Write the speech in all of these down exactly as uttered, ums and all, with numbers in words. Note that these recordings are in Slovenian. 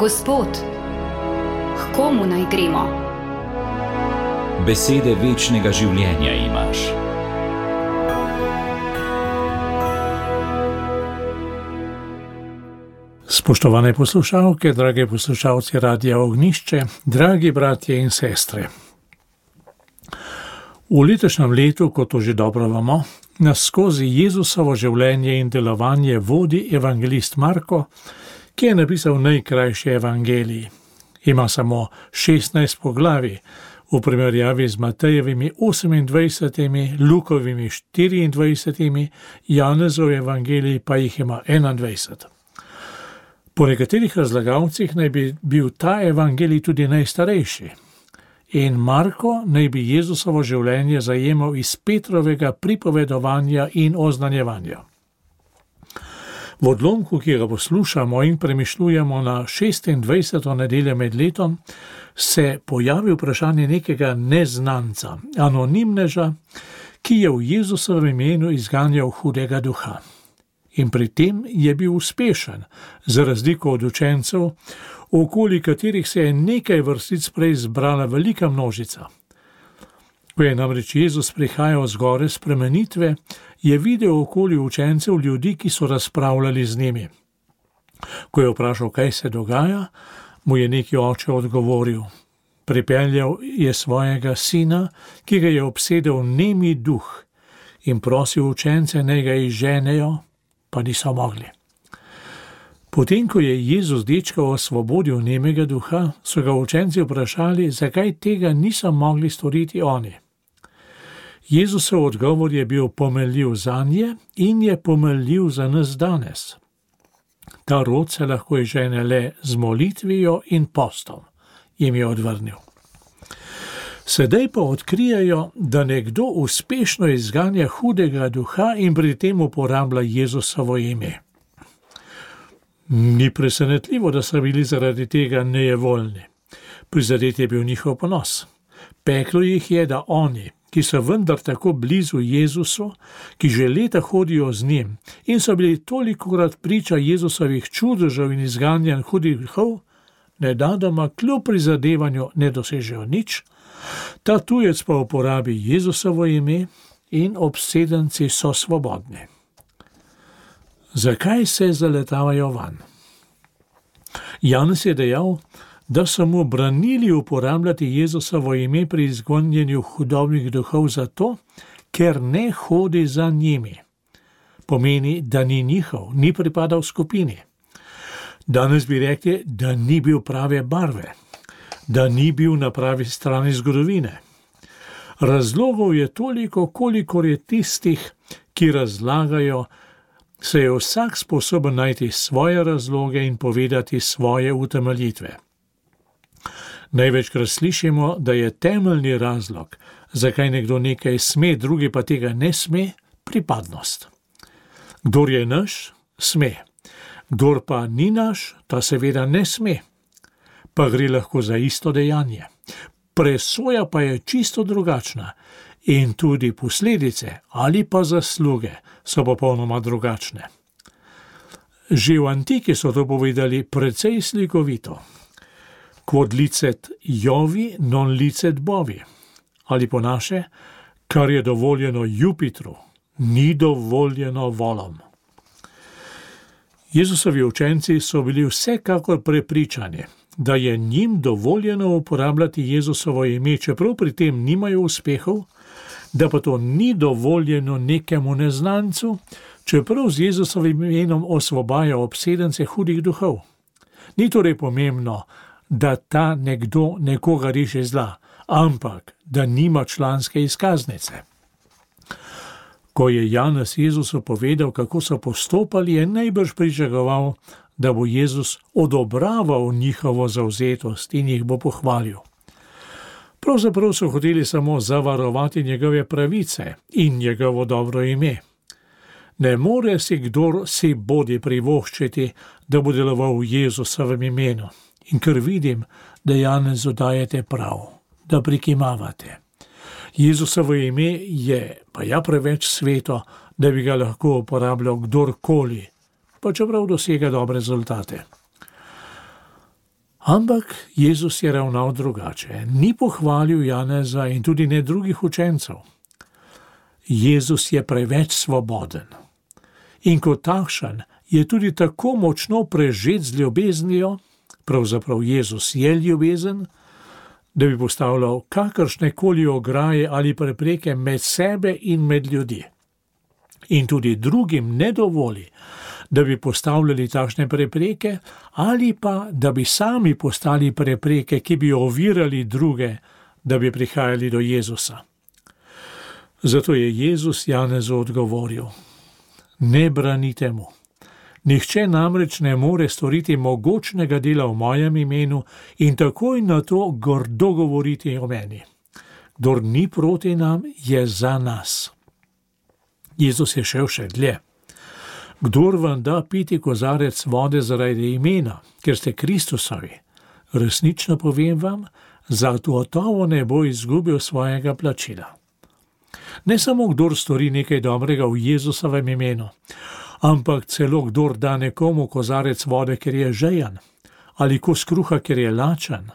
Gospod, k komu naj gremo? Besede večnega življenja imaš. Spoštovane poslušalke, drage poslušalci Radia Ognjišče, dragi bratje in sestre. V letošnjem letu, kot to že dobro vemo, nas skozi Jezusovo življenje in delovanje vodi evangelist Marko, ki je napisal najkrajši evangelij. Ima samo šestnajst poglavij, v primerjavi z Matejevimi osemindvajsetimi, Lukovimi štiriindvajsetimi, Janezov evangelij pa jih ima enaindvajset. Po nekaterih razlagalcih naj bi bil ta evangelij tudi najstarejši. In Marko naj bi Jezusovo življenje zajemal iz Petrovega pripovedovanja in oznanjevanja. V odlomku, ki ga poslušamo in premišljujemo na šestindvajseto nedeljo med letom, se pojavi vprašanje nekega neznanca, anonimneža, ki je v Jezusovem imenu izganjal hudega duha. In pri tem je bil uspešen, za razliko od učencev, okoli katerih se je nekaj vrstic prej zbrala velika množica. Ko je namreč Jezus prihajal z gore spremenitve, je videl okoli učencev ljudi, ki so razpravljali z njimi. Ko je vprašal, kaj se dogaja, mu je neki oče odgovoril. Pripeljal je svojega sina, ki ga je obsedel nemi duh, in prosil učence, naj ga izženejo, pa niso mogli. Potem, ko je Jezus dečka osvobodil nemega duha, so ga učenci vprašali, zakaj tega niso mogli storiti oni. Jezusov odgovor je bil pomenljiv zanje in je pomenljiv za nas danes. Ta rod se lahko izžene le z molitvijo in postom, jim je odvrnil. Sedaj pa odkrijajo, da nekdo uspešno izganja hudega duha in pri tem uporablja Jezusovo ime. Ni presenetljivo, da so bili zaradi tega nejevoljni. Prizadet je bil njihov ponos. Peklo jih je, da oni, ki so vendar tako blizu Jezusu, ki že leta hodijo z njim in so bili tolikokrat priča Jezusovih čudežev in izganjanj hudih duhov, nedadoma kljub prizadevanju ne dosežejo nič, ta tujec pa uporabi Jezusovo ime in obsedenci so svobodni. Zakaj se zaletavajo van? Janez je dejal, da so mu branili uporabljati Jezusovo ime pri izgonjenju hudobnih duhov zato, ker ne hodi za njimi. Pomeni, da ni njihov, ni pripadal skupini. Danes bi rekli, da ni bil prave barve, da ni bil na pravi strani zgodovine. Razlogov je toliko, kolikor je tistih, ki razlagajo, se je vsak sposoben najti svoje razloge in povedati svoje utemeljitve. Največkrat slišimo, da je temeljni razlog, zakaj nekdo nekaj sme, drugi pa tega ne sme, pripadnost. Kdor je naš, sme. Kdor pa ni naš, ta seveda ne sme. Pa gre lahko za isto dejanje. Presoja pa je čisto drugačna in tudi posledice ali pa zasluge so popolnoma drugačne. Že v antiki so to povedali precej slikovito. Quod licet Jovi, non licet Bovi. Ali po naše, kar je dovoljeno Jupitru, ni dovoljeno volom. Jezusovi učenci so bili vsekakor prepričani, da je njim dovoljeno uporabljati Jezusovo ime, čeprav pri tem nimajo uspehov, da pa to ni dovoljeno nekemu neznancu, čeprav z Jezusovim imenom osvobaja obsedence hudih duhov. Ni torej pomembno, da ta nekdo nekoga reši zla, ampak da nima članske izkaznice. Ko je Janez Jezusu povedal, kako so postopali, je najbrž pričakoval, da bo Jezus odobraval njihovo zavzetost in jih bo pohvalil. Pravzaprav so hoteli samo zavarovati njegove pravice in njegovo dobro ime. Ne more si kdor si bodi privoščiti, da bo deloval v Jezusovem imenu. In ker vidim, da Janezu dajete prav, da prikimavate. Jezusovo ime je pa ja preveč sveto, da bi ga lahko uporabljal kdorkoli, pa čeprav dosega dobre rezultate. Ampak Jezus je ravnal drugače. Ni pohvalil Janeza in tudi ne drugih učencev. Jezus je preveč svoboden. In kot takšen je tudi tako močno prežet z ljubeznijo, pravzaprav Jezus je ljubezen, da bi postavljal kakršne koli ograje ali prepreke med sebe in med ljudi. In tudi drugim ne dovoli, da bi postavljali takšne prepreke ali pa da bi sami postali prepreke, ki bi ovirali druge, da bi prihajali do Jezusa. Zato je Jezus Janezu odgovoril: ne branite mu. Nihče namreč ne more storiti mogočnega dela v mojem imenu in takoj na to grdo govoriti o meni. Kdor ni proti nam, je za nas. Jezus je šel še dlje. Kdor vam da piti kozarec vode zaradi imena, ker ste Kristusovi, resnično povem vam, zato gotovo ne bo izgubil svojega plačila. Ne samo kdor stori nekaj dobrega v Jezusovem imenu, ampak celo kdor da nekomu kozarec vode, ker je žejen, ali kos kruha, ker je lačen,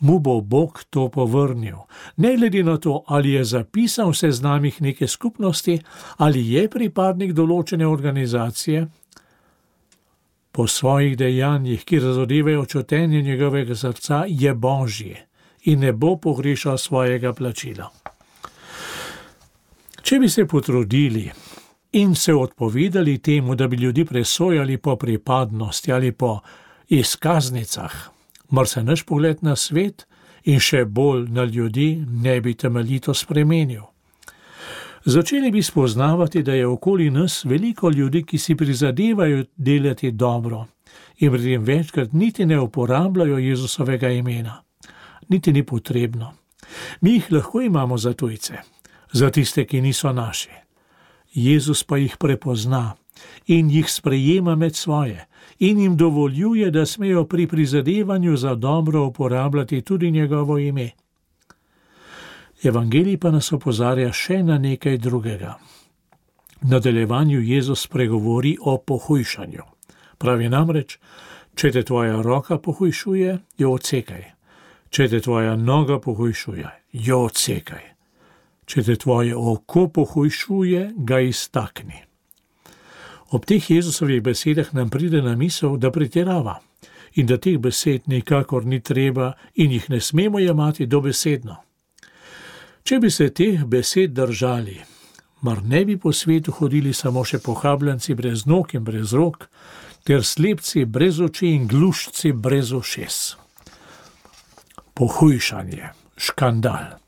mu bo Bog to povrnil, ne glede na to, ali je zapisan v seznamih neke skupnosti, ali je pripadnik določene organizacije. Po svojih dejanjih, ki razodevajo čutenje njegovega srca, je Božji in ne bo pogrešal svojega plačila. Če bi se potrudili in se odpovedali temu, da bi ljudi presojali po pripadnosti ali po izkaznicah, mar se naš pogled na svet in še bolj na ljudi ne bi temeljito spremenil. Začeli bi spoznavati, da je okoli nas veliko ljudi, ki si prizadevajo delati dobro in pri tem večkrat niti ne uporabljajo Jezusovega imena. Niti ni potrebno. Mi jih lahko imamo za tujce, za tiste, ki niso naši. Jezus pa jih prepozna in jih sprejema med svoje in jim dovoljuje, da smejo pri prizadevanju za dobro uporabljati tudi njegovo ime. Evangelij pa nas opozarja še na nekaj drugega. V nadaljevanju Jezus pregovori o pohujšanju. Pravi namreč, če te tvoja roka pohujšuje, jo odsekaj. Če te tvoja noga pohujšuje, jo odsekaj. Če te tvoje oko pohujšuje, ga iztakni. Ob teh Jezusovih besedah nam pride na misel, da pretirava in da teh besed nikakor ni treba in jih ne smemo jemati dobesedno. Če bi se teh besed držali, mar ne bi po svetu hodili samo še pohabljenci brez nog in brez rok, ter slepci brez oči in glušci brez ušes. Pohujšanje, škandal.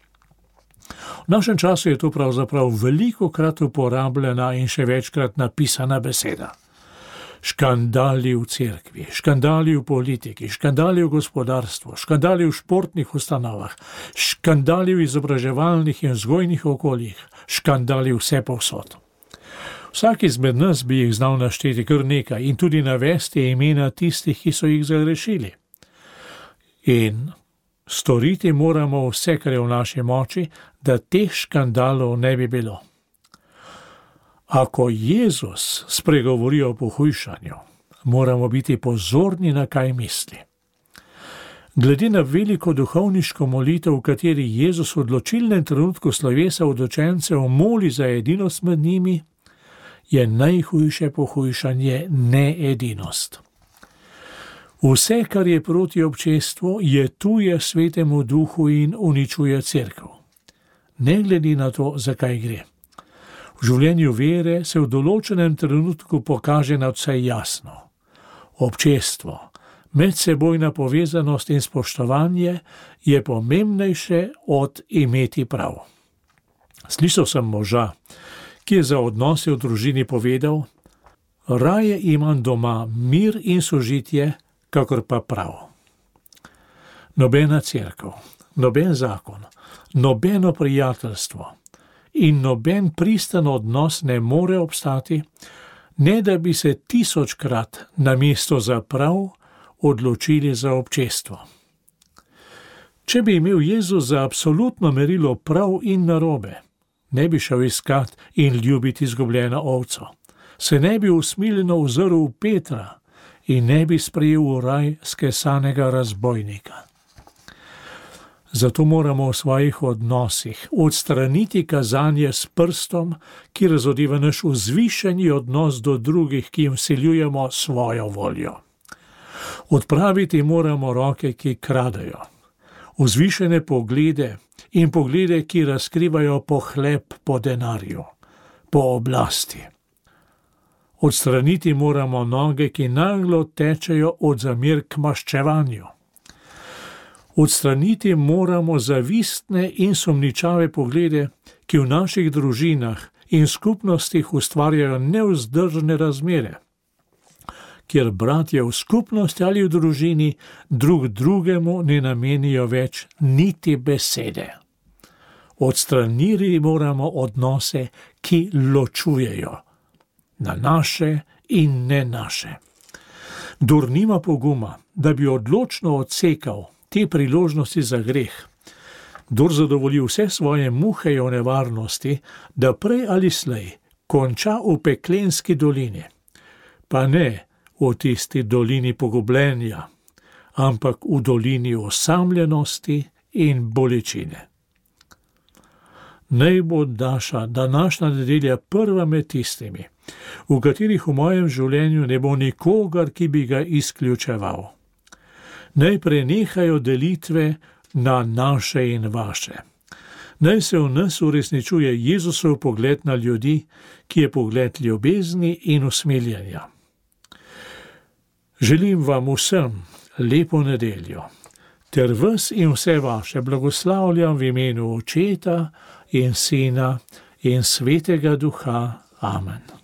V našem času je to pravzaprav velikokrat uporabljena in še večkrat napisana beseda. Škandali v cerkvi, škandali v politiki, škandali v gospodarstvu, škandali v športnih ustanovah, škandali v izobraževalnih in vzgojnih okoljih, škandali vse povsod. Vsak izmed nas bi jih znal našteti kar nekaj in tudi navesti imena tistih, ki so jih zagrešili. In storiti moramo vse, kar je v naši moči, da teh škandalov ne bi bilo. Ako Jezus spregovori o pohujšanju, moramo biti pozorni, na kaj misli. Glede na veliko duhovniško molitev, v kateri Jezus v odločilnem trenutku slovesa od učencev moli za edinost med njimi, je najhujše pohujšanje needinost. Vse, kar je proti občestvu, je tuje Svetemu Duhu in uničuje cerkev. Ne glede na to, zakaj gre. V življenju vere se v določenem trenutku pokaže nadvse jasno. Občestvo, medsebojna povezanost in spoštovanje je pomembnejše od imeti prav. Slišal sem moža, ki je za odnose v družini povedal: raje imam doma mir in sožitje, kakor pa prav. Nobena cerkev, noben zakon, nobeno prijateljstvo in noben pristan odnos ne more obstati, ne da bi se tisočkrat namesto za prav odločili za občestvo. Če bi imel Jezus za absolutno merilo prav in narobe, ne bi šel iskat in ljubiti izgubljeno ovco, se ne bi usmiljeno ozrl v Petra in ne bi sprejel v raj skesanega razbojnika. Zato moramo v svojih odnosih odstraniti kazanje s prstom, ki razodeva naš vzvišeni odnos do drugih, ki jim vsiljujemo svojo voljo. Odpraviti moramo roke, ki kradejo, vzvišene poglede in poglede, ki razkrivajo pohlep po denarju, po oblasti. Odstraniti moramo noge, ki naglo tečejo od zamer k maščevanju. Odstraniti moramo zavistne in sumničave poglede, ki v naših družinah in skupnostih ustvarjajo nevzdržne razmere, kjer bratje v skupnosti ali v družini drug drugemu ne namenijo več niti besede. Odstraniti moramo odnose, ki ločujejo, na naše in ne naše. Kdor nima poguma, da bi odločno odsekal te priložnosti za greh, kdor zadovolji vse svoje muhe o nevarnosti, da prej ali slej konča v peklenski dolini, pa ne v tisti dolini pogubljenja, ampak v dolini osamljenosti in bolečine. Naj bo naša današnja nedelja prva med tistimi, v katerih v mojem življenju ne bo nikogar, ki bi ga izključeval. Naj prenehajo delitve na naše in vaše. Naj se v nas uresničuje Jezusov pogled na ljudi, ki je pogled ljubezni in usmiljenja. Želim vam vsem lepo nedeljo, ter vas in vse vaše blagoslavljam v imenu Očeta in Sina in Svetega Duha. Amen.